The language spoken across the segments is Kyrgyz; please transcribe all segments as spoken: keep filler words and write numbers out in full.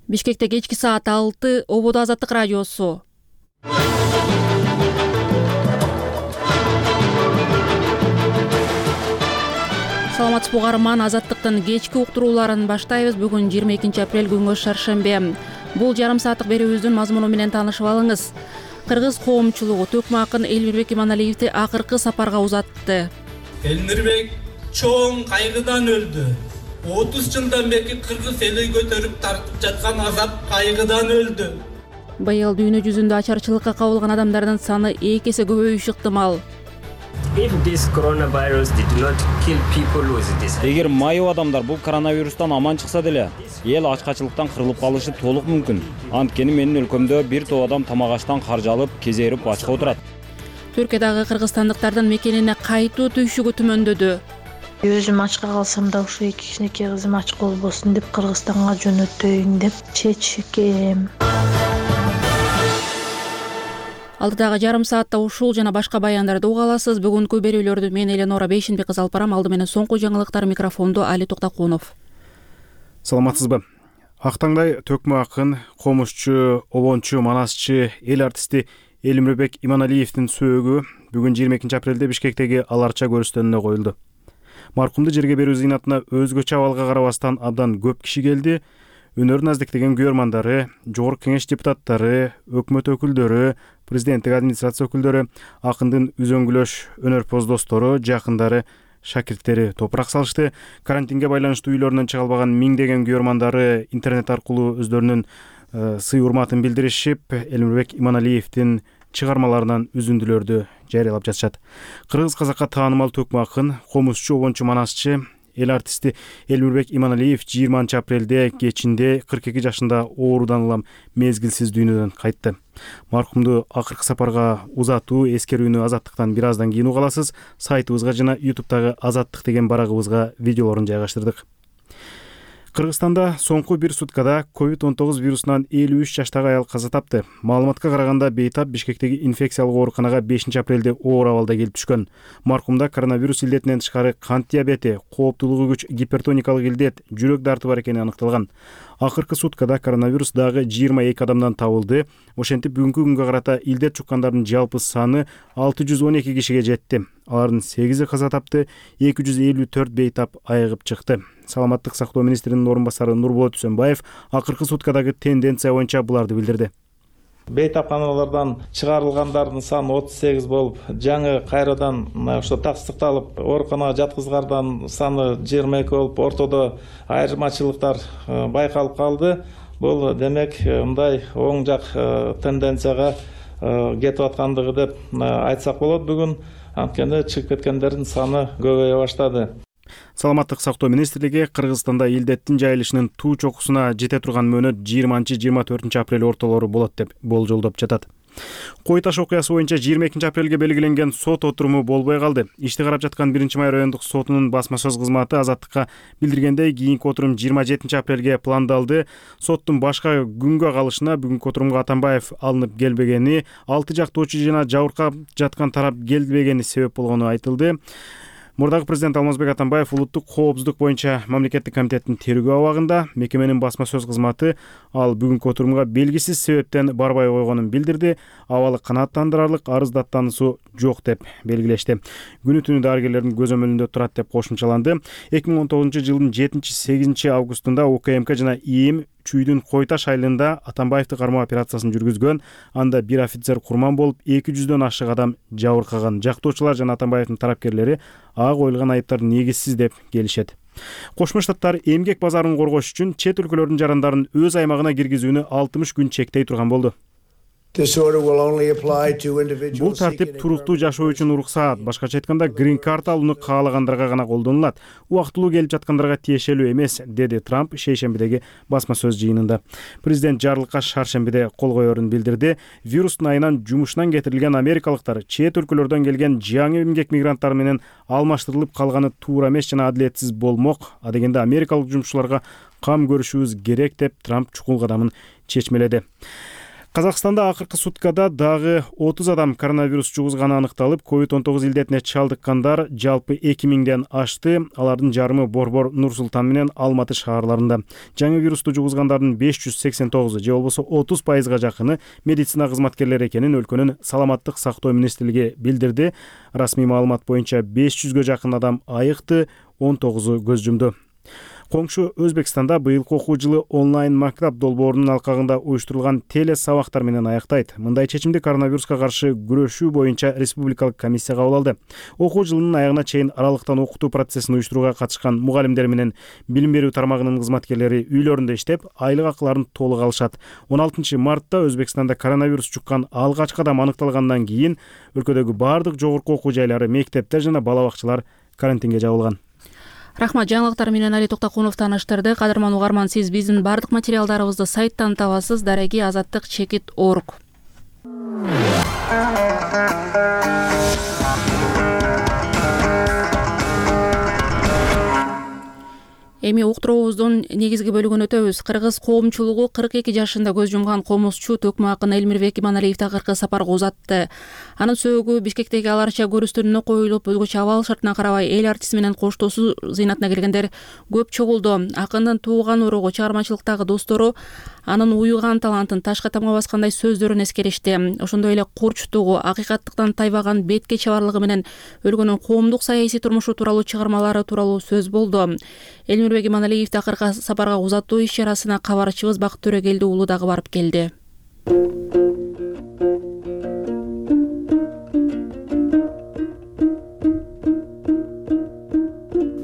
Бишкекте кечки саат алты, Ободо Азаттык радиосу. Саламатсызбы угарман, Азаттыктын кечки уктурууларын баштайбыз. Бүгүн жыйырма экинчи апрель күнгө шаршембе. Бул жарым сааттык берүүбүздүн мазмуну менен таанышып алыңыз. Кыргыз коомчулугу төкмө акын Элмирбек Иманалиевди акыркы сапарга узатты. Элмирбек чоң кайгыдан өлдү. отуз жылдан бери кыргыз эли көтөрүп тартып жаткан азап кайгыдан өлдү. Быйыл дүйнө жүзүндө ачарчылыкка кабылган адамдардын саны эки эсе көбөйүшү ыктымал. Эгер майып адамдар бул коронавирустан аман чыкса деле, эл ачкачылыктан кырылып калышы толук мүмкүн. Анткени менин өлкөмдө бир топ адам тамак-аштан каржалып, кезерип ачка отурат. Түркиядагы кыргызстандыктардын мекенине кайтуу түйшүгү түмөндөдү. Өзүм ачка калсам да ушу эки кичинекей кызым ачка болбосун деп Кыргызстанга жөнөтөйүн деп чечкем. Алдыдагы жарым саатта ушул жана башка баяндарды уга аласыз. Бүгүнкү берүүлөрдү мен Эленора Бейшенбек кызы алып барам. Алды менен соңку жаңылыктар микрофонду Али Токтокунов. Саламатсызбы? Актаңдай төкмө акын, комузчу, обончу, манасчы, эл артисти Элмирбек Иманалиевдин сөөгү бүгүн жыйырма экинчи апрелде Бишкектеги Аларча көрүстөнүнө коюлду. Маркумду жерге берүү зыйнатына өзгөчө абалга карабастан абдан көп киши келди. Өнөрүн аздиктеген күйөрмандары, жогорку кеңеш депутаттары, өкмөт өкүлдөрү, президенттик администрация өкүлдөрү, акындын үзөңгүлөш өнөрпоз достору, жакындары, шакирттери топурак салышты. Карантинге байланыштуу үйлөрүнөн чыга албаган миңдеген күйөрмандары интернет аркылуу өздөрүнүн сый урматын билдиришип, Элмирбек Иманалиевдин чыгармаларынан үзүндүлөрдү жарыялап жатышат. Кыргыз казакка таанымал төкмө акын, комузчу, обончу, манасчы, эл артисти Элмирбек Иманалиев жыйырманчы апрелде кечинде кырк эки жашында оорудан улам мезгилсиз дүйнөдөн кайтты. Маркумду акыркы сапарга узатуу эскерүүнү Азаттыктан бир аздан кийин уга аласыз. Сайтыбызга жана ютубтагы Азаттык деген барагыбызга видеолорун жайгаштырдык. Кыргызстанда соңку бир суткада ковид он тогуз вирусунан элүү үч жаштагы аял каза тапты. Маалыматка караганда бейтап Бишкектеги инфекциялык ооруканага бешинчи апрелде оор абалда келип түшкөн. Маркумда коронавирус илдетинен тышкары кант диабети, кооптуулугу күч гипертоникалык илдет, жүрөк дарты бар экени аныкталган. Акыркы суткада коронавирус дагы жыйырма эки адамдан табылды. Ошентип бүгүнкү күнгө карата илдет чуккандардын жалпы саны алты жүз он эки кишиге жетти. Алардын сегизи каза тапты, эки жүз элүү төрт бейтап айыгып чыкты. Саламаттык сактоо министринин орун басары Нурболот Үсөнбаев акыркы суткадагы тенденция боюнча буларды билдирди. Бейтапканалардан чыгарылгандардын саны отуз сегиз болуп, жаңы кайрадан ошо тастыкталып, ооруканага жаткызылгандардын саны жыйырма эки болуп, ортодо айырмачылыктар байкалып калды. Бул демек мындай оң жак тенденцияга кетип аткандыгы деп айтсак болот бүгүн. Анткени чыгып кеткендердин саны көбөйө баштады. Саламаттык сактоо министрлиги Кыргызстанда илдеттин жайылышынын туу чокусуна жете турган мөөнөт жыйырманчы жыйырма төртүнчү апрель ортолору болот деп болжолдоп жатат. Кой таш окуясы боюнча жыйырма экинчи апрелге белгиленген сот отуруму болбой калды. Ишти карап жаткан биринчи май райондук сотунун басма сөз кызматы Азаттыкка билдиргендей, кийинки отурум жыйырма жетинчи апрелге пландалды. Соттун башка күнгө калышына бүгүнкү отурумга Атамбаев алынып келбегени, алты жактоочу жана жабыркап жаткан тарап келбегени себеп болгону айтылды. Мурдагы президент Алмазбек Атамбаев улуттук коопсуздук боюнча мамлекеттик комитеттин тергөө абагында. Мекеменин басма сөз кызматы ал бүгүнкү отурумга белгисиз себептен барбай койгонун билдирди. Абалы канааттандырарлык арыз даттануусу жок деп белгилешти. Күнү түнү дарыгерлердин көзөмөлүндө турат деп кошумчаланды. эки миң он тогузунчу жылдын жетинчи сегизинчи августунда УКМК жана ИИМ Чүйдүн Кой таш айылында Атамбаевди кармоо операциясын жүргүзгөн. Анда бир офицер курман болуп, эки жүздөн ашык адам жабыркаган. Жактоочулар жана Атамбаевдин тарапкерлери ага коюлган айыптар негизсиз деп келишет. Кошмо Штаттар эмгек базарын коргош үчүн чет өлкөлөрдүн жарандарын өз аймагына киргизүүнү алтымыш күн чектей турган болду. Бул тартип туруктуу жашоо үчүн уруксаат, башкача айтканда грин карт алууну каалагандарга гана колдонулат. Убактылуу келип жаткандарга тиешелүү эмес, деди Трамп шейшембидеги басма сөз жыйынында. Президент жарлыкка шаршембиде кол коерун билдирди. Вирустун айынан жумушунан кетирилген америкалыктар чет өлкөлөрдөн келген жаңы эмгек мигранттар менен алмаштырылып калганы туура эмес жана адилетсиз болмок. А дегенде америкалык жумушчуларга кам көрүшүбүз керек деп Трамп чукул кадамын чечмеледи. Казакстанда акыркы суткада дагы отуз адам коронавирус жугузганы аныкталып, ковид он тогуз илдетине чалдыккандар жалпы эки миңден ашты. Алардын жарымы Борбор, Нур Султан менен Алматы шаарларында. Жаңы вирусту жугузгандардын беш жүз сексен тогузу же болбосо отуз пайызга жакыны медицина кызматкерлери экенин өлкөнүн саламаттык сактоо министрлиги билдирди. Расмий маалымат боюнча беш жүзгө жакын адам айыкты, он тогузу көз жумду. Коңшу Өзбекстанда быйылкы окуу жылы онлайн мактап долбоорунун алкагында уюштурулган теле сабактар менен аяктайт. Мындай чечимди коронавируска каршы күрөшүү боюнча республикалык комиссия кабыл алды. Окуу жылынын аягына чейин аралыктан окутуу процессин уюштурууга катышкан мугалимдер менен билим берүү тармагынын кызматкерлери үйлөрүндө иштеп, айлык акыларын толук алышат. он алтынчы мартта Өзбекстанда коронавирус жуккан алгачкы адам аныкталгандан кийин өлкөдөгү бардык жогорку окуу жайлары, мектептер жана бала бакчалар карантинге жабылган. Рахмат, жаңылыктар менен Али Токтокунов тааныштырды. Кадырман угарман, сиз биздин бардык материалдарыбызды сайттан табасыз. Дареги азаттык чекит орг. Эми уктуруубуздун негизги бөлүгүн өтөбүз. Кыргыз коомчулугу кырк эки жашында көз жумган комузчу төкмө акын Элмирбек Иманалиевди акыркы сапарга узатты. Анын сөөгү Бишкектеги Ал Арча көрүстүрүнө коюлуп, өзгөчө абал шартына карабай эл артисти менен коштошуу зыйнатына келгендер көп чогулду. Акындын тууган уругу, чыгармачылыктагы достору анын уюган талантын ташка тамга баскандай сөздөрүн эскеришти. Ошондой эле курчтугу, акыйкаттыктан тайбаган бетке чабарлыгы менен өлкөнүн коомдук саясий турмушу тууралуу чыгармалары тууралуу сөз болду. Элмирбек Иманалиевди акыркы сапарга узатуу иш-чарасына кабарчыбыз Бакыт Төрөгелди уулу дагы барып келди.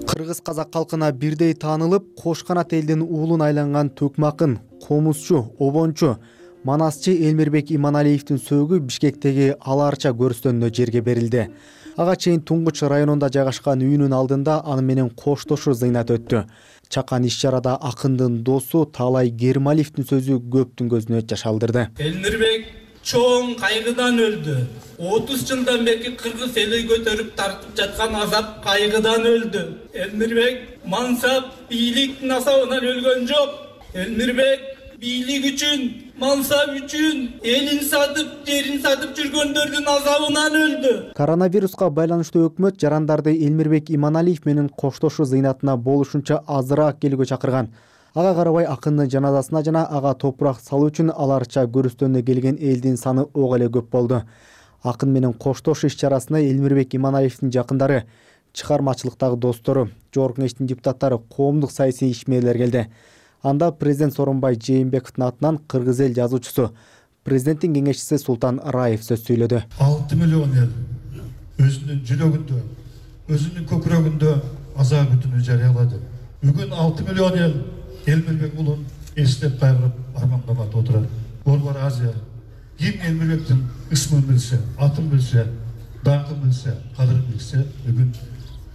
Кыргыз казак калкына бирдей таанылып, кош канат элдин уулун айланган төкмө акын, комузчу, обончу, манасчы Элмирбек Иманалиевдин сөөгү Бишкектеги Ал Арча көрүстөнүнө жерге берилди. Ага чейин Туңгуч районунда жайгашкан үйүнүн алдында аны менен коштошуу зыйнат өттү. Чакан иш-чарада акындын досу Таалай Гермалиевдин сөзү көптүн көзүнө жаш алдырды. Элмирбек чоң кайгыдан өлдү. отуз жылдан бери кыргыз эли көтөрүп тартып жаткан азап кайгыдан өлдү. Элмирбек мансап, бийликтин асабынан өлгөн жок. Элмирбек бийлик үчүн, мансап үчүн элин сатып, жерин сатып жүргөндөрдүн азабынан өлдү. Коронавируска байланыштуу өкмөт жарандарды Элмирбек Иманалиев менен коштошуу зыйнатына болушунча азыраак келүүгө чакырган. Ага карабай акындын жаназасына жана ага топурак салуу үчүн Ал Арча көрүстөнүнө келген элдин саны ого эле көп болду. Акын менен коштошуу иш-чарасына Элмирбек Иманалиевдин жакындары, чыгармачылыктагы достору, жогорку кеңештин депутаттары, коомдук саясий ишмерлер келди. Анда президент Сооронбай Жээнбековдун атынан кыргыз эл жазуучусу, президенттин кеңешчиси Султан Раев сөз сүйлөдү. алты миллион эл өзүнүн жүрөгүндө, өзүнүн көкүрөгүндө аза күтүүнү жарыялады. Бүгүн алты миллион эл Элмирбек уулун эстеп кайгырып арманга батып отурат. Борбор Азия ким Элмирбектин ысмын билсе, атын билсе, даңкын билсе, кадырын билсе, бүгүн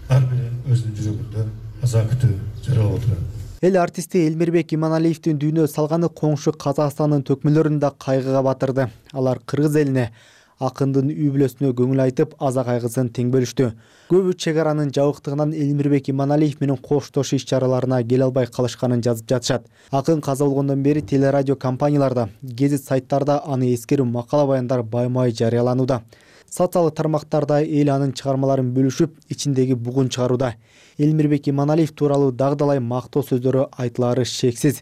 ар бир өзүнүн жүрөгүндө аза күтүү жарыялап отурат. Эл артисти Элмирбек Иманалиевдин дүйнө салганы коңшу Казакстандын төкмөлөрүн да кайгыга батырды. Алар кыргыз элине, акындын үй бүлөсүнө көңүл айтып, аза кайгысын тең бөлүштү. Көбү чек аранын жабыктыгынан Элмирбек Иманалиев менен коштошуу иш-чараларына келе албай калышканын жазып жатышат. Акын каза болгондон бери телерадио компанияларда, гезит сайттарда аны эскерүү макала баяндар баймай жарыяланууда. Социалдык тармактарда эл анын чыгармаларын бөлүшүп, ичиндеги бугун чыгарууда. Элмирбек Иманалиев тууралуу дагы-далай мактоо сөздөрү айтылары шексиз.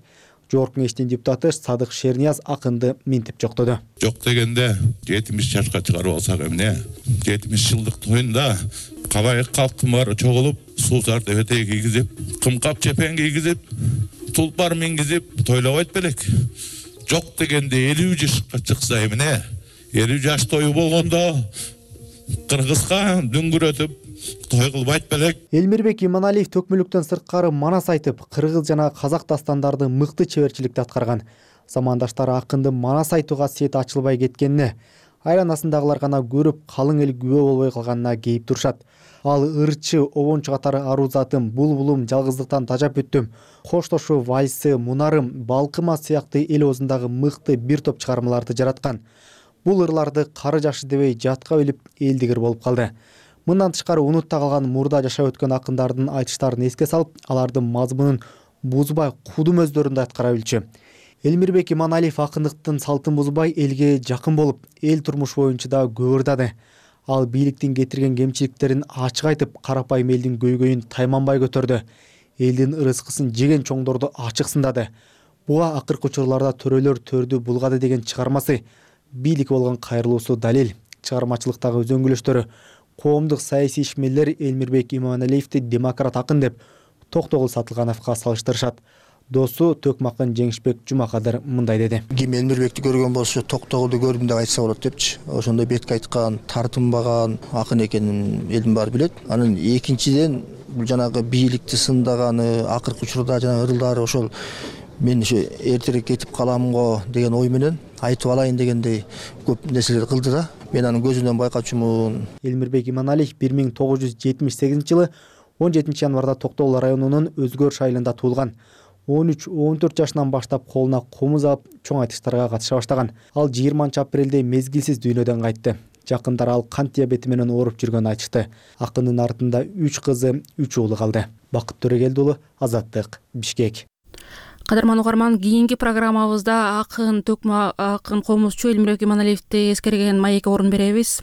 Жогорку кеңештин депутаты Садык Шернияз акынды минтип жоктоду. Жок дегенде жетимиш жашка чыгарып алсак эмне? жетимиш жылдык тоюнда кабайык калктын баары чогулуп, суусарды өтөй кийгизип, кымкап чепен кийгизип, тулпар мингизип тойлобойт белек. Жок дегенде элүү жашка чыкса эмне? элүү жаш тою болгондо кыргызга дүңгүрөтүп той кылбайт белек. Элмирбек Иманалиев төкмөлүктөн сырткары манас айтып, кыргыз жана казак дастандарды мыкты чеберчиликте аткарган. Замандаштары акындын манас айтуу касиети ачылбай кеткенине, айланасындагылар гана көрүп, калың эл күбө болбой калганына кейип турушат. Ал ырчы, обончу катары аруу затым, булбулум, жалгыздыктан тажап өттүм, коштошуу вальсы, мунарым, балкыма сыяктуу эл оозундагы мыкты бир топ чыгармаларды жараткан. Бул ырларды кары жашы дебей жатка билип элдигер болуп калды. Мындан тышкары унутта калган мурда жашап өткөн акындардын айтыштарын эске салып, алардын мазмунун бузбай кудум өздөрүндө аткара билчү. Элмирбек Иманалиев акындыктын салтын бузбай элге жакын болуп, эл турмуш боюнча да көп ырдады. Ал бийликтин кетирген кемчиликтерин ачык айтып, карапайым элдин көйгөйүн тайманбай көтөрдү. Элдин ырыскысын жеген чоңдорду ачык сындады. Буга акыркы учурларда төрөлөр төрдү булгады деген чыгармасы бийликке болгон кайрылуусу далил. Чыгармачылыктагы өзөңгүлөштөрү коомдук саясий ишмерлер Элмирбек Иманалиевди демократ акын деп Токтогул Сатылгановго салыштырышат. Досу Төкмакын Жеңишбек Жумакадыр мындай деди. Ким Элмирбекти көргөн болсо Токтогулду көрдүм деп айтса болот депчи. Ошондой бетке айткан, тартынбаган акын экенин элдин баары билет. Анын экинчиден бул жанагы бийликти сындаганы, акыркы учурда жанагы ырылдары ошол мен ошо эртерээк кетип каламго деген ой менен айтып алайын дегендей көп нерселер кылды да. Мен анын көзүнөн байкачумун. Элмирбек Иманалиев бир миң тогуз жүз жетимиш сегизинчи жылы он жетинчи январда Токтогул районунун Өзгөрүш айылында туулган. он үч он төрт жашынан баштап колуна комуз алып чоң айтыштарга катыша баштаган. Ал жыйырманчы апрелде мезгилсиз дүйнөдөн кайтты. Жакындар ал кант диабети менен ооруп жүргөнүн айтышты. Акындын артында үч кызы, үч уулу калды. Бакыт Төрөгелди уулу, Азаттык, Бишкек. Кадырман угарман, кийинки программабызда акын Төкмак акын комузчу Элмирбек Иманалиевди эскерген маекке орун беребиз.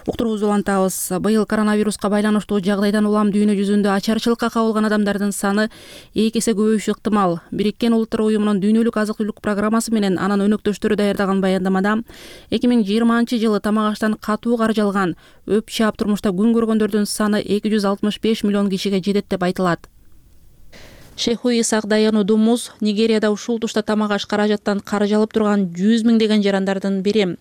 Уктуруубузду улантабыз. Быйыл коронавируска байланыштуу жагдайдан улам дүйнө жүзүндө ачарчылыкка кабылган адамдардын саны эки эсе көбөйүшү ыктымал. Бириккен Улуттар уюмунун дүйнөлүк азык-түлүк программасы менен анын өнөктөштөрү даярдаган баяндамада эки миң жыйырманчы жылы тамак аштан катуу каржалган өп чаап турмушта күн көргөндөрдүн саны эки жүз алтымыш беш миллион кишиге жетет деп айтылат. Шейху Исак Даянудумуз Нигерияда ушул тушта тамак аш каражаттан каржалып турган жүз миңдеген жарандардын бири.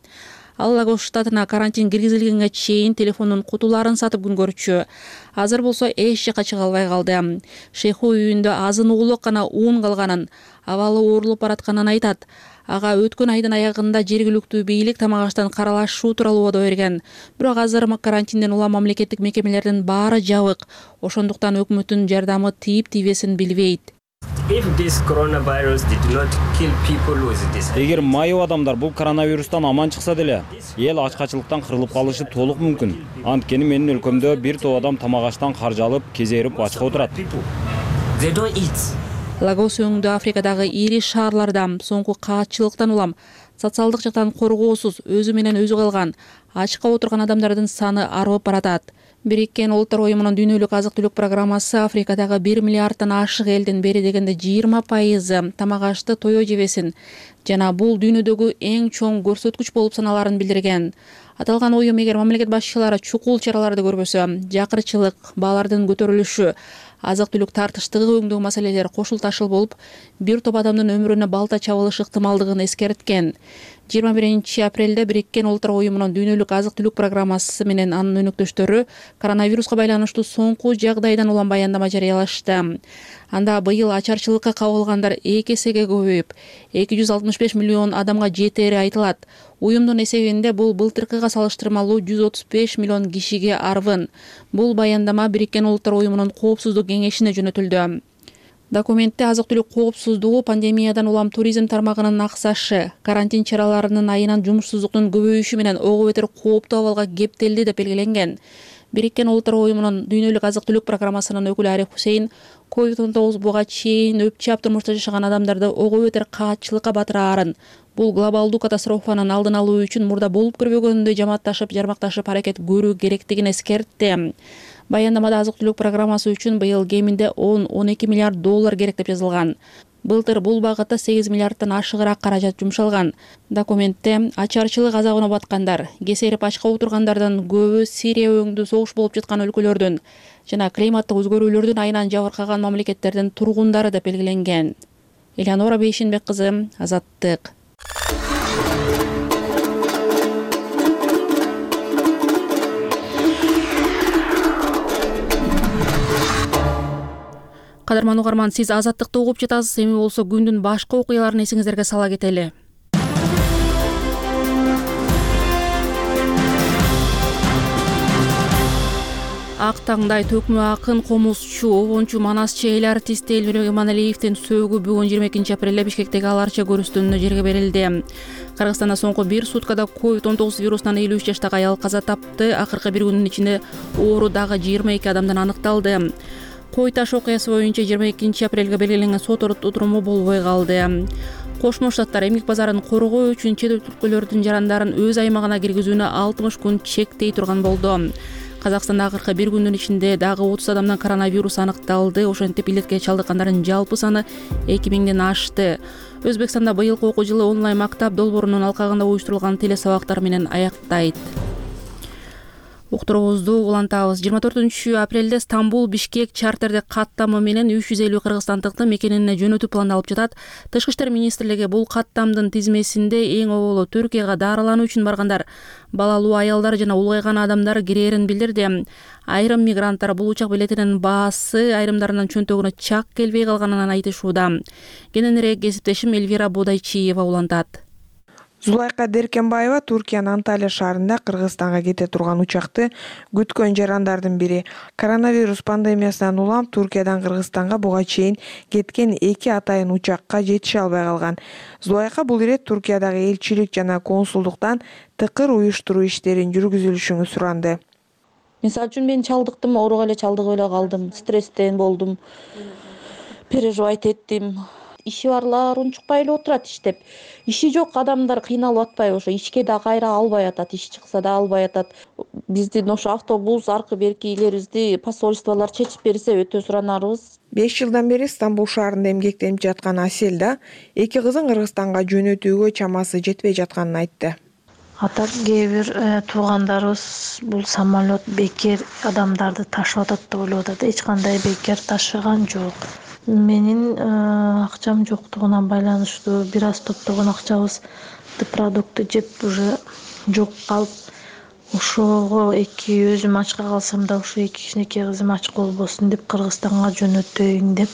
Ал Лагос штатына карантин киргизилгенге чейин телефондун кутуларын сатып күн көрчү. Азыр болсо эч жака чыга албай калды. Шейху үйүндө азын уулук гана уун калганын, абалы оорулуп баратканын айтат. Ага өткөн айдын аягында жергиликтүү бийлик тамак аштан каралашуу тууралуу убада берген. Бирок азыр карантинден улам мамлекеттик мекемелердин баары жабык. Ошондуктан өкмөттүн жардамы тийип тийбесин билбейт. Эгер майып адамдар бул коронавирустан аман чыкса деле, эл ачкачылыктан кырылып калышы толук мүмкүн. Анткени менин өлкөмдө бир топ адам тамак аштан каржалып, кезерип ачка отурат. Лагос өңдүү Африкадагы ири шаарларда соңку каатчылыктан улам социалдык жактан коргоосуз өзү менен өзү калган, ачка отурган адамдардын саны арып баратат. Бириккен Улуттар уюмунун дүйнөлүк азык-түлүк программасы Африкадагы бир миллиарддан ашык элдин бери дегенде жыйырма пайызы тамак ашты тое жебесин жана бул дүйнөдөгү эң чоң көрсөткүч болуп саналарын билдирген. Аталган уюм эгер мамлекет башчылары чукул чараларды көрбөсө, жакырчылык, баалардын көтөрүлүшү, азык-түлүк тартыштыгы өңдөө маселелери кошулташыл болуп, бир топ адамдын өмүрүнө балта чабылышы ыктымалдыгын эскерткен. жыйырма биринчи апрелде Бириккен Улуттар уюмунун дүйнөлүк азык-түлүк программасы менен анын өнөктөштөрү коронавируска байланыштуу соңку жагдайдан улам баяндама жарыялашты. Анда быйыл ачарчылыкка кабылгандар эки эсеге көбөйүп, эки жүз алтымыш беш миллион адамга жетери айтылат. Уюмдун эсебинде бул былтыркыга салыштырмалуу жүз отуз беш миллион кишиге арбын. Бул баяндама Бириккен Улуттар уюмунун коопсуздук кеңешине жөнөтүлдү. Документте азык-түлүк коопсуздугу, пандемиядан улам туризм тармагынын аксашы, карантин чараларынын айынан жумушсуздуктун көбөйүшү менен ого бетер кооптуу абалга кептелди деп белгиленген. Бириккен Улуттар уюмунун дүйнөлүк азык-түлүк программасынын өкүлү Ариф Хусейн ковид он тогуз буга чейин өп чаап турмушта жашаган адамдарды ого бетер каатчылыкка батыраарын, бул глобалдуу катастрофанын алдын алуу үчүн мурда болуп көрбөгөндөй жамаатташып, жармакташып аракет көрүү керектигин эскертти. Баяндамада азык-түлүк программасы үчүн быйыл кеминде он — он эки миллиард доллар керек деп жазылган. Былтыр бул багытта сегиз миллиардтан ашыгыраак каражат жумшалган. Документте ачарчылык азабына баткандар, кесерип ачка отургандардын көбү Сирия өңдүү согуш болуп жаткан өлкөлөрдүн жана климаттык өзгөрүүлөрдүн айынан жабыркаган мамлекеттердин тургундары деп белгиленген. Элеонора Бейшенбек кызы, Азаттык. Кадырман угарман, сиз Азаттыкты угуп жатасыз. Эми болсо күндүн башка окуяларын эсиңиздерге сала кетели. Ак таңдай Төкмө акын, комузчу, обончу, манасчы эл артисти Элмирбек Иманалиевдин сөөгү бүгүн жыйырма экинчи апрелде Бишкектеги Аларча көрүстүнүнө жерге берилди. Кыргызстанда соңку бир суткада ковид он тогуз вирусунан элүү үч жаштагы аял каза тапты. Акыркы бир күндүн ичинде оору дагы жыйырма эки адамдан аныкталды. Кой таш окуясы боюнча жыйырма экинчи апрелге белгиленген сот отуруму болбой калды. Кошмо Штаттар эмгек базарын коргоо үчүн чет өлкөлөрдүн жарандарын өз аймагына киргизүүнү алтымыш күн чектей турган болду. Казакстанда акыркы бир күндүн ичинде дагы отуз адамдан коронавирус аныкталды. Ошентип илетке чалдыккандардын жалпы саны эки миңден ашты. Өзбекстанда быйылкы окуу жылы онлайн мактап долбоорунун алкагында уюштурулган телесабактар менен аяктайт. Уктуруубузду улантабыз. жыйырма төртүнчү апрелде Стамбул Бишкек чартердик каттамы менен үч жүз элүү кыргызстандыкты мекенине жөнөтүү пландалып жатат. Тышкы иштер министрлиги бул каттамдын тизмесинде эң оболу Түркияга дарылануу үчүн баргандар, балалуу аялдар жана улгайган адамдар кирээрин билдирди. Айрым мигранттар бул учак билетинин баасы айрымдарынын чөнтөгүнө чак келбей калганын айтышууда. Кененирээк кесиптешим Эльвира Бодайчиева улантат. Зулайка Деркенбаева Туркиянын Анталия шаарында Кыргызстанга кете турган учакты күткөн жарандардын бири. Коронавирус пандемиясынан улам Туркиядан Кыргызстанга буга чейин кеткен эки атайын учакка жетише албай калган. Зулайка бул ирет Туркиядагы элчилик жана консулдуктан тыкыр уюштуруу иштерин жүргүзүлүшүн суранды. Мисалы үчүн мен чалдыктым, ооруга эле чалдыгып эле калдым, стресстен болдум, переживать эттим. Иши барлар унчукпай эле отурат иштеп. Иши жок адамдар кыйналып атпайбы, ошо ишке да кайра албай атат, иш чыкса да албай атат. Биздин ошо автобус аркы берки илерибизди посольстволор чечип берсе өтө суранарбыз. беш жылдан бери Стамбул шаарында эмгектенип жаткан Аселда эки кызын Кыргызстанга жөнөтүүгө чамасы жетпей жатканын айтты. Ата кээ бир туугандарыбыз бул самолет бекер адамдарды ташып атат деп ойлоп атат. Эч кандай бекер ташыган жок. Менин акчам жоктугуна байланыштуу бир аз топтогон акчабыз продукты жеп уже жок калып, ошого эки өзүм ачка калсам да ошо эки кичинекей кызым ач болбосун деп Кыргызстанга жөнөтөйүн деп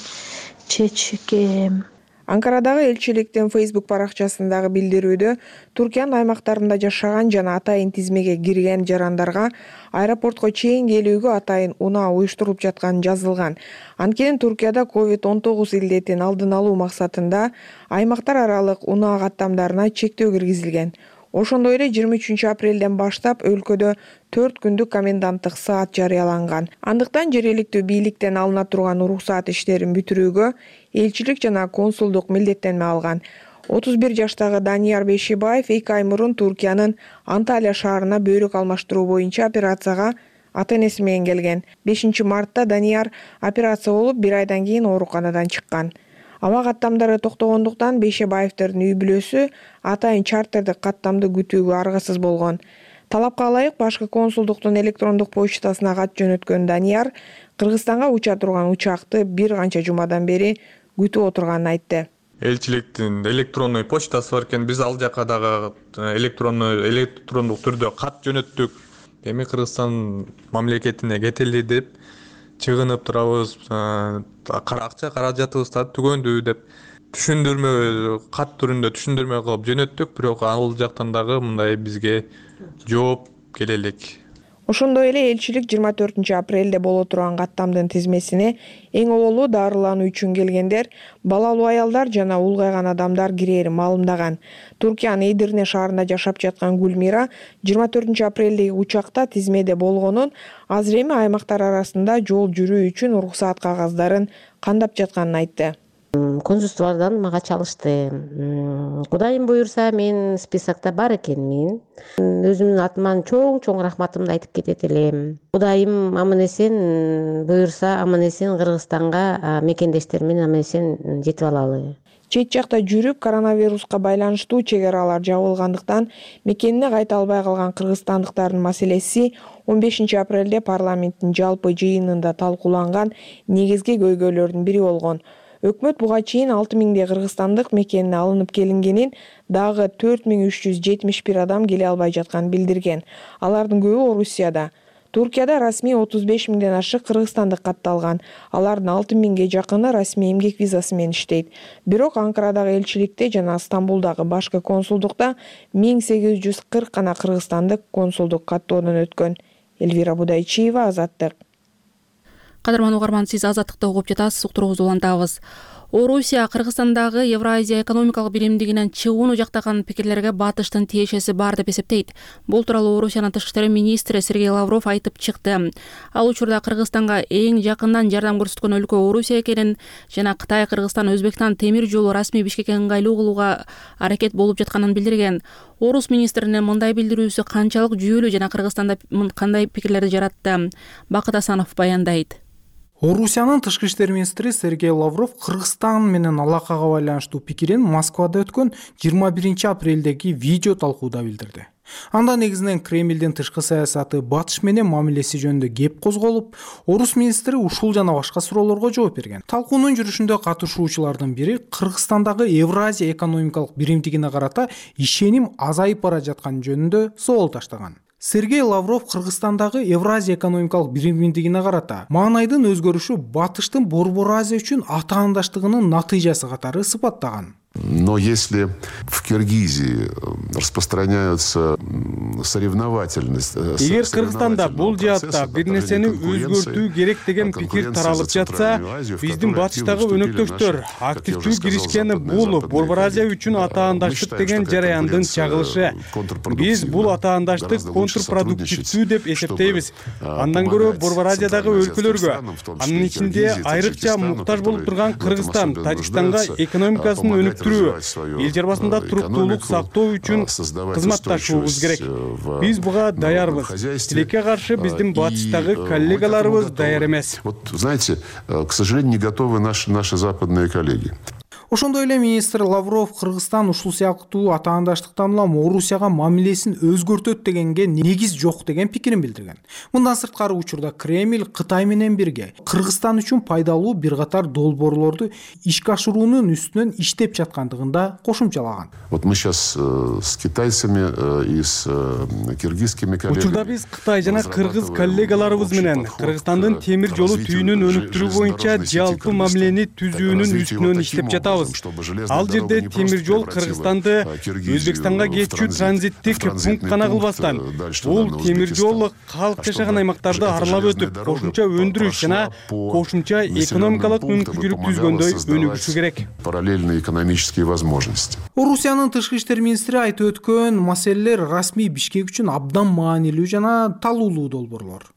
чечкем. Анкарадагы элчиликтин Facebook баракчасындагы билдирүүдө Туркиянын аймактарында жашаган жана атайын тизмеге кирген жарандарга аэропортко чейин келүүгө атайын унаа уюштурулуп жатканы жазылган. Анткени Туркияда ковид он тогуз илдетин алдын алуу максатында аймактар аралык унаа каттамдарына чектөө киргизилген. Ошондой эле жыйырма үчүнчү апрелден баштап өлкөдө төрт күндүк коменданттык саат жарыяланган. Андыктан жергиликтүү бийликтен алына турган уруксаат иштерин бүтүрүүгө элчилик жана консулдук милдеттенме алган. отуз бир жаштагы Данияр Бешибаев эки ай мурун Туркиянын Анталия шаарына бөйрөк алмаштыруу боюнча операцияга ата-энеси менен келген. бешинчи мартта Данияр операция болуп, бир айдан кийин ооруканадан чыккан. Аба каттамдары токтогондуктан Бешебаевдердин үй бүлөсү атайын чартердик каттамды күтүүгө аргасыз болгон. Талапка ылайык башкы консулдуктун электрондук почтасына кат жөнөткөн Данияр Кыргызстанга уча турган учакты бир канча жумадан бери күтүп отурганын айтты. Элчиликтин электронный почтасы бар экен, биз ал жака дагы электронный электрондук түрдө кат жөнөттүк. Эми Кыргызстан мамлекетине кетели деп чыгынып турабыз, акча каражатыбызды түгөндү деп түшүндүрмө кат түрүндө түшүндүрмө кылып жөнөттүк, бирок ал жактан дагы мындай бизге жооп келе элек. Ошондой эле элчилик жыйырма төртүнчү апрелде боло турган каттамдын тизмесине эң оболу дарылануу үчүн келгендер, балалуу аялдар жана улгайган адамдар кирээрин маалымдаган. Туркиянын Эдирне шаарында жашап жаткан Гүлмира жыйырма төртүнчү апрелдеги учакта тизмеде болгонун, азыр эми аймактар арасында жол жүрүү үчүн уруксаат кагаздарын кандап жатканын айтты. Консулстволордон мага чалышты. Кудайым буюрса, мен списокто бар экенмин. Өзүмдүн атыман чоң-чоң рахматымды айтып кетет элем. Кудайым аман-эсен буюрса, аман-эсен Кыргызстанга мекендештер менен аман-эсен жетип алалы. Чет жакта жүрүп, коронавируска байланыштуу чек аралар жабылгандыктан мекенине кайта албай калган кыргызстандыктардын маселеси он бешинчи апрелде парламенттин жалпы жыйынында талкууланган негизги көйгөйлөрдүн бири болгон. Өкмөт буга чейин алты миңдей кыргызстандык мекенине алынып келингенин, дагы төрт миң үч жүз жетимиш бир адам келе албай жатканын билдирген. Алардын көбү Орусияда. Туркияда расмий отуз беш миңден ашык кыргызстандык катталган. Алардын алты миңге жакыны расмий эмгек визасы менен иштейт. Бирок Анкарадагы элчиликте жана Стамбулдагы башкы консулдукта миң сегиз жүз кырк гана кыргызстандык консулдук каттоодон өткөн. Эльвира Будайчиева, Азаттык. Кадырман угарман, сиз Азаттыкты угуп жатасыз, уктуруубузду улантабыз. Орусия Кыргызстандагы Евразия экономикалык биримдигинен чыгууну жактаган пикирлерге батыштын тиешеси бар деп эсептейт. Бул тууралуу Орусиянын тышкы иштер министри Сергей Лавров айтып чыкты. Ал учурда Кыргызстанга эң жакындан жардам көрсөткөн өлкө Орусия экенин жана Кытай, Кыргызстан, Өзбекстан темир жолу расмий Бишкекке ыңгайлуу кылууга аракет болуп жатканын билдирген. Орус министринин мындай билдирүүсү канчалык жүйөлүү жана Кыргызстанда кандай пикирлерди жаратты? Бакыт Асанов баяндайт. Орусиянын тышкы иштер министри Сергей Лавров Кыргызстан менен алакага байланыштуу пикирин Москвада өткөн жыйырма биринчи апрелдеги видео талкууда билдирди. Анда негизинен Кремлдин тышкы саясаты, батыш менен мамилеси жөнүндө кеп козголуп, Орус министри ушул жана башка суроолорго жооп берген. Талкуунун жүрүшүндө катышуучулардын бири Кыргызстандагы Евразия экономикалык биримдигине карата ишеним азайып бара жатканы жөнүндө суроол таштаган. Сергей Лавров Кыргызстандагы Евразия экономикалык биримдигине карата маанайдын өзгөрүшү батыштын Борбор Азия үчүн атаандаштыгынын натыйжасы катары сыпаттаган. Но если в Киргизии распространяются соревновательность, эгер Кыргызстанда бул жаатта бир нерсени өзгөртүү керек деген пикир таралып жатса, биздин батыштагы өнөктөштөр активдүү киришкени бул Борбор Азия үчүн атаандаштык деген жараяндын чагылышы. Биз бул атаандаштык контрпродуктивдүү деп эсептейбиз. Андан көрө Борбор Азиядагы өлкөлөргө, анын ичинде айрыкча муктаж болуп турган Кыргызстан, Тажикстанга экономикасын өнүктүрүү, эл жарбасында туруктуулук сактоо үчүн кызматташуубуз керек. Биз буга даярбыз. Тилекке каршы биздин батыштагы коллегаларыбыз даяр эмес. Вот, знаете, к сожалению, не готовы наши наши западные коллеги. Ошондой эле министр Лавров Кыргызстан ушул сыяктуу атаандаштыктан улам Орусияга мамилесин өзгөртөт дегенге негиз жок деген пикирин билдирген. Мындан сырткары учурда Кремль Кытай менен бирге Кыргызстан үчүн пайдалуу бир катар долбоорлорду ишке ашыруунун үстүнөн иштеп жаткандыгын да кошумчалаган. Вот мы сейчас э, с китайцами э, и с э, киргизскими коллегами. Учурда биз Кытай жана кыргыз коллегаларыбыз менен Кыргызстандын темир жолу түйүнүн өнүктүрүү боюнча жалпы мамилени түзүүнүн үстүнөн иштеп жатабыз. Ал жерде темир жол Кыргызстанды Өзбекстанга кетчү транзиттик пункт гана кылбастан, бул темир жол калк жашаган аймактарды аралап өтүп, кошумча өндүрүш жана кошумча экономикалык мүмкүнчүлүк түзгөндөй өнүгүшү керек. Параллельные экономические возможности. Орусиянын тышкы иштер министри айтып өткөн маселелер расмий Бишкек үчүн абдан маанилүү жана талуулуу долбоорлор.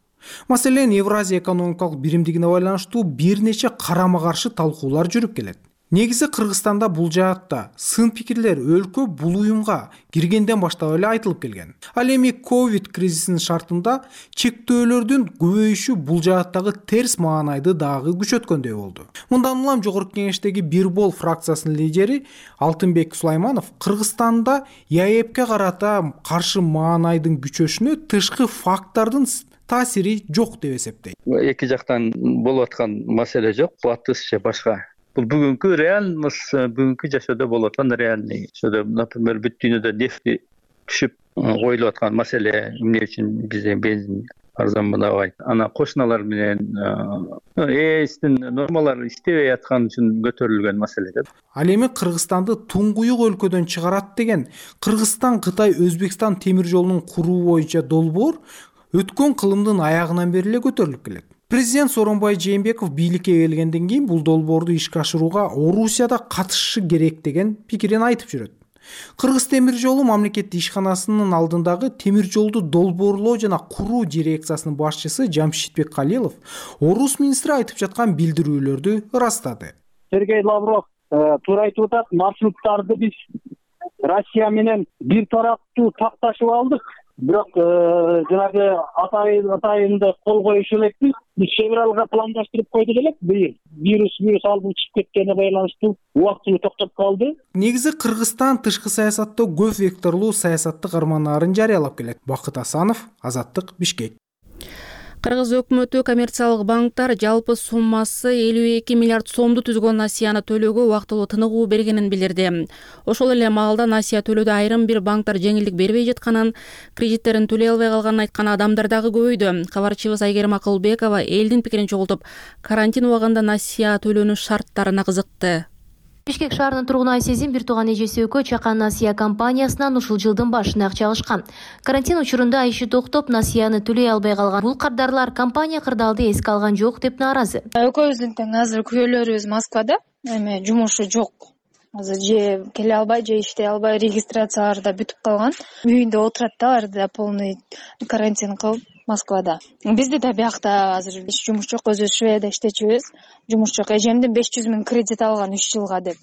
Маселен, Евразия экономикалык биримдигине байланыштуу бир нече карама-каршы талкуулар жүрүп келет. Негизи Кыргызстанда бул жаатта сын пикирлер өлкө бул уюмга киргенден баштап эле айтылып келген. Ал эми ковид кризисинин шартында чектөөлөрдүн көбөйүшү бул жааттагы терс маанайды дагы күчөткөндөй болду. Мындан улам Жогорку Кеңештеги Бирбол фракциясынын лидери Алтынбек Сулайманов Кыргызстанда ЯЭПке карата каршы маанайдын күчөшүнө тышкы фактордун таасири жок деп эсептейт. Эки жактан болуп аткан маселе жок, батыш же башка. Бул бүгүнкү реальность, бүгүнкү жашоодо болуп аткан реальный. Ошодо, например, бүт дүйнөдө нефти түшүп коюлуп аткан маселе, эмне үчүн бизде бензин арзанбабайт. Ана кошуналар менен ээстин нормалары иштебей аткан үчүн көтөрүлгөн маселе да. Ал эми Кыргызстанды туңгуюк өлкөдөн чыгарат деген Кыргызстан, Кытай, Өзбекстан темир жолунун куруу боюнча долбоор өткөн кылымдын аягынан бери эле көтөрүлүп келет. Президент Сооронбай Жээнбеков бийликке келгенден кийин бул долбоорду ишке ашырууга Орусияда катышышы керек деген пикирин айтып жүрөт. Кыргыз темир жолу мамлекеттик ишканасынын алдындагы темир жолду долбоорлоо жана куруу дирекциясынын башчысы Жамшитбек Калилов Орус министри айтып жаткан билдирүүлөрдү ырастады. Сергей Лавров туура айтып атат, маршруттарды биз Россия менен бир тараптуу такташып алдык. Бирок жанагы атайында кол коюшу элекпиз. Биз февралга пландаштырып койдук элек, быйыл вирус вирус алып чыгып кеткенине байланыштуу убактылуу токтоп калды. Негизи Кыргызстан тышкы саясатта көп векторлуу саясаттык армандарын жарыялап келет. Бакыт Асанов, Азаттык, Бишкек. Кыргыз өкмөтү коммерциялык банктар жалпы суммасы элүү эки миллиард сомду түзгөн насыяны төлөөгө убактылуу тыныгуу бергенин билдирди. Ошол эле маалда насыя төлөөдө айрым бир банктар жеңилдик бербей жатканын, кредиттерин төлөй албай калганын айткан адамдар дагы көбөйдү. Кабарчыбыз Айгерим Акылбекова элдин пикирин чогултуп, карантин убагында насыя төлөөнүн шарттарына кызыкты. Бишкек шаарынын тургуну Айсезин бир тууган эжеси экөө Чакан насыя компаниясынан ушул жылдын башында акча алышкан. Карантин учурунда иши токтоп, насыяны төлөй албай калган бул кардарлар компания кырдаалды эске алган жок деп нааразы. Экөөбүздүн тең азыр күбөлөрүбүз Москвада. эме жумушу жок. Азыр же келе албай, же иштей албай, регистрациялары да бүтүп калган. Үйүндө отурат да, алар да полный карантин кылып Москвада. Бизде да биякта азыр эч жумуш жок, өзүбүз Шведияда иштечүбүз. Жумуш жок. Эжемдин беш жүз миң кредит алган үч жылга деп.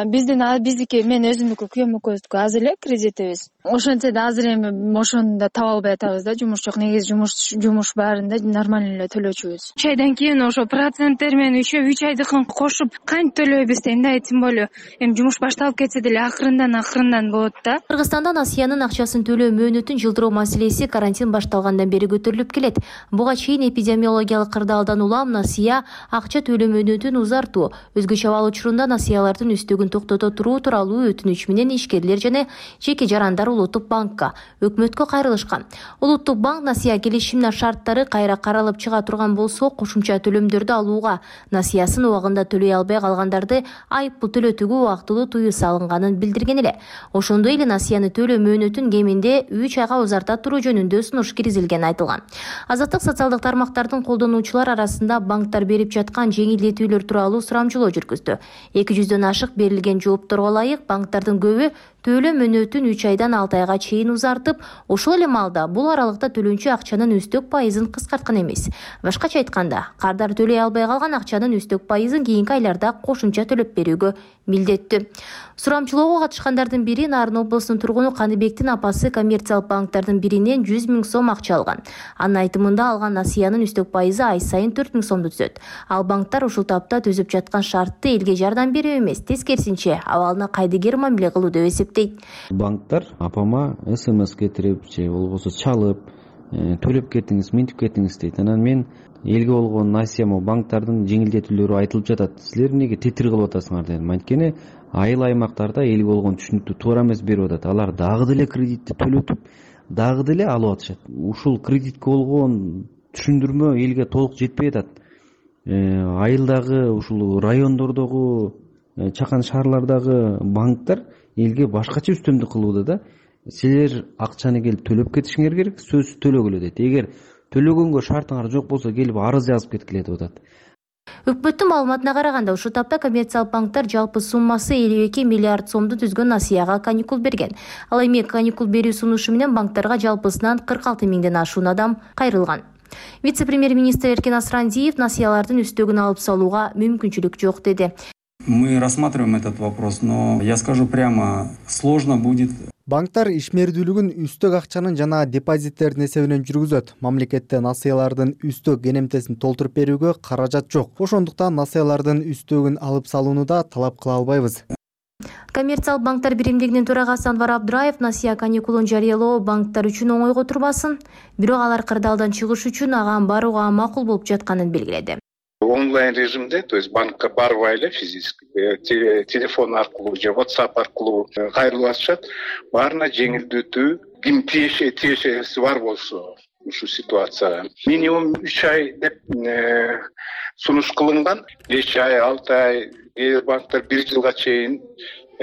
Биздин биздики мен өзүмдүкү күйөөм экөөбүздүкү аз эле кредитибиз. Ошентсе да азыр эми ошону да таба албай атабыз да, жумуш жок. Негизи жумуш жумуш баарында нормально эле төлөчүбүз. үч айдан кийин ошо проценттер менен үч үч айдыкын кошуп кантип төлөйбүз да, тем более эми жумуш башталып кетсе деле акырындан акырындан болот да. Кыргызстанда Насиянын акчасын төлөө мөөнөтүн жылдыруу маселеси карантин башталгандан бери көтөрүлүп келет. Буга чейин эпидемиологиялык кырдаалдан улам Насия акча төлөө мөөнөтүн узартуу, өзгөчө абал учурунда насыялардын үстөгүн токтото туруу тууралуу өтүнүч менен ишкерлер жана жеке жарандар Улуттук банкка, өкмөткө кайрылышкан. Улуттук банк насыя келишиминин шарттары кайра каралып чыга турган болсо, кошумча төлөмдөрдү алууга, насыясын убагында төлөй албай калгандарды айыппул төлөтүүгө убактылуу тыюу салынганын билдирген эле. Ошондой эле насыяны төлөө мөөнөтүн кеминде үч айга узарта туруу жөнүндө сунуш киргизилгени айтылган. Азаттык социалдык тармактардын колдонуучулар арасында банктар берип жаткан жеңилдетүүлөр тууралуу сурамжылоо жүргүздү. эки жүздөн ашык берилген жоопторго ылайык банктардын көбү төлөө мөөнөтүн үч айдан алты айга чейин узартып, ошол эле маалда бул аралыкта төлөнчү акчанын үстөк пайызын кыскарткан эмес. Башкача айтканда, кардар төлөй албай калган акчанын үстөк пайызын кийинки айларда кошумча төлөп берүүгө милдеттүү. Сурамчылоого катышкандардын бири Нарын облусунун тургуну Каныбектин апасы коммерциялык банктардын биринен жүз миң сом акча алган. Анын айтымында алган насыянын үстөк пайызы ай сайын төрт миң сомду түзөт. Ал банктар ушул тапта түзүп жаткан шартты элге жардам берүү эмес, тескерисинче абалына кайдыгер мамиле кылуу деп эсептейт. Банктар апама смс кетирип же болбосо чалып, төлөп кетиңиз, минтип кетиңиз дейт. Анан мен элге болгон насыяма банктардын жеңилдетүүлөрү айтылып жатат. Силер эмнеге тетир кылып атасыңар дедим. Анткени айыл аймактарда элге болгон түшүнүктүү туура эмес берип атат. Алар дагы деле кредитти төлөтүп, дагы деле алып атышат. Ушул кредитке болгон түшүндүрмө элге толук жетпей атат. Айылдагы ушул райондордогу, чакан шаарлардагы банктар элге башкача үстөмдүк кылууда да. Силер акчаны келип төлөп кетишиңер керек, сөзсүз төлөгүлө дейт. Эгер төлөгөнгө шартыңар жок болсо келип арыз жазып кеткиле деп атат. Өкмөттүн маалыматына караганда, ушул тапта коммерциялык банктар жалпы суммасы элүү эки миллиард сомду түзгөн насыяга каникул берген. Ал эми каникул берүү сунушу менен банктарга жалпысынан кырк алты миңден ашуун адам кайрылган. Вице-премьер-министр Эркин Асрандиев насыялардын үстөгүн алып салууга мүмкүнчүлүк жок деди. Мы рассматриваем этот вопрос, но я скажу прямо, сложно будет. Банктар ишмердүүлүгүн үстөк акчанын жана депозиттердин эсебинен жүргүзөт. Мамлекетте насыялардын үстөк энемтесин толтуруп берүүгө каражат жок. Ошондуктан насыялардын үстөгүн алып салууну да талап кыла албайбыз. Коммерциялык банктар биримдигинин төрагасы Анвар Абдраев насыя каникулун жарыялоо банктар үчүн оңойго турбасын, бирок алар кырдаалдан чыгыш үчүн ага барууга макул болуп жатканын белгиледи. Онлайн режимде, то есть банкка барбай эле физически телефон аркылуу же WhatsApp аркылуу кайрылып атышат. Баарына жеңилдетүү, ким тиешеси бар болсо ушул ситуацияга минимум үч ай деп сунуш кылынган. беш ай, алты ай, кээ бир банктар бир жылга чейин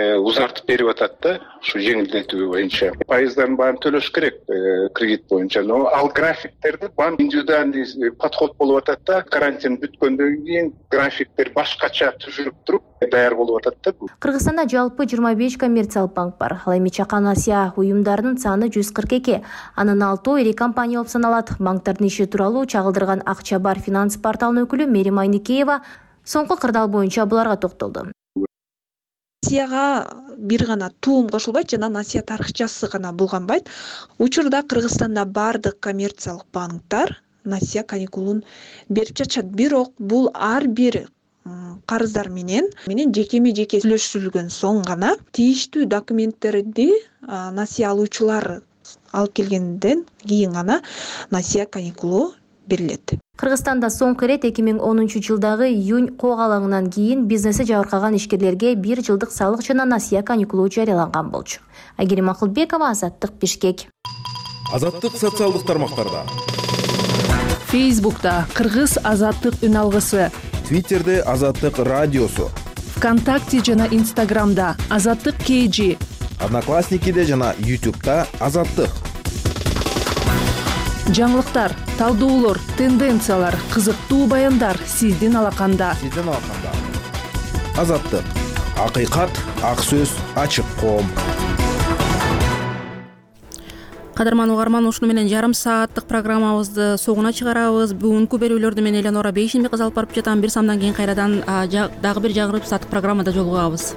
узартып берип атат да, ушу жеңилдетүү боюнча. Пайыздарын баарын төлөш керек кредит боюнча. Но ал графиктерди банк индивидуальный подход болуп атат да, карантин бүткөндөн кийин графиктер башкача түзүлүп туруп даяр болуп атат да. Кыргызстанда жалпы жыйырма беш коммерциялык банк бар. Ал эми чакан насыя уюмдарынын саны жүз кырк эки. Анын алтоо ири компания болуп саналат. Банктардын иши тууралуу чагылдырган Акча бар финанс порталынын өкүлү Мерим Айникеева соңку кырдаал боюнча буларга токтолду. Насыяга бир гана туум кошулбайт жана насыя тарыхчасы гана булганбайт. Учурда Кыргызстанда бардык коммерциялык банктар насыя каникулун берип жатышат. Бирок бул ар бир карыздар менен менен жекеме жеке сүйлөшүлгөн соң гана тийиштүү документтерди насыя алуучулар алып келгенден кийин гана насыя каникулу берилет. Кыргызстанда соңку ирет эки миң онунчу жылдагы июнь коогалаңынан кийин бизнеси жабыркаган ишкерлерге бир жылдык салык жана насыя каникулу жарыяланган болчу. Айгерим Акылбекова, Азаттык, Бишкек. Азаттык социалдык тармактарда. Фейсбукта Кыргыз Азаттык үн алгысы. Твиттерде Азаттык радиосу. ВКонтакте жана Инстаграмда Азаттык кей джи. Одноклассникиде жана Ютубта Азаттык. Жаңылыктар, талдоолор, тенденциялар, кызыктуу баяндар сиздин алаканда. Сиздин алаканда. Азаттык, акыйкат, ак сөз, ачык коом. Кадырман угарман, ушуну менен жарым сааттык программабызды соңуна чыгарабыз. Бүгүнкү берүүлөрдү мен Эленора Бейшенбек алып барып жатам. Бир самдан кийин кайрадан дагы бир жагырып сааттык программада жолугабыз.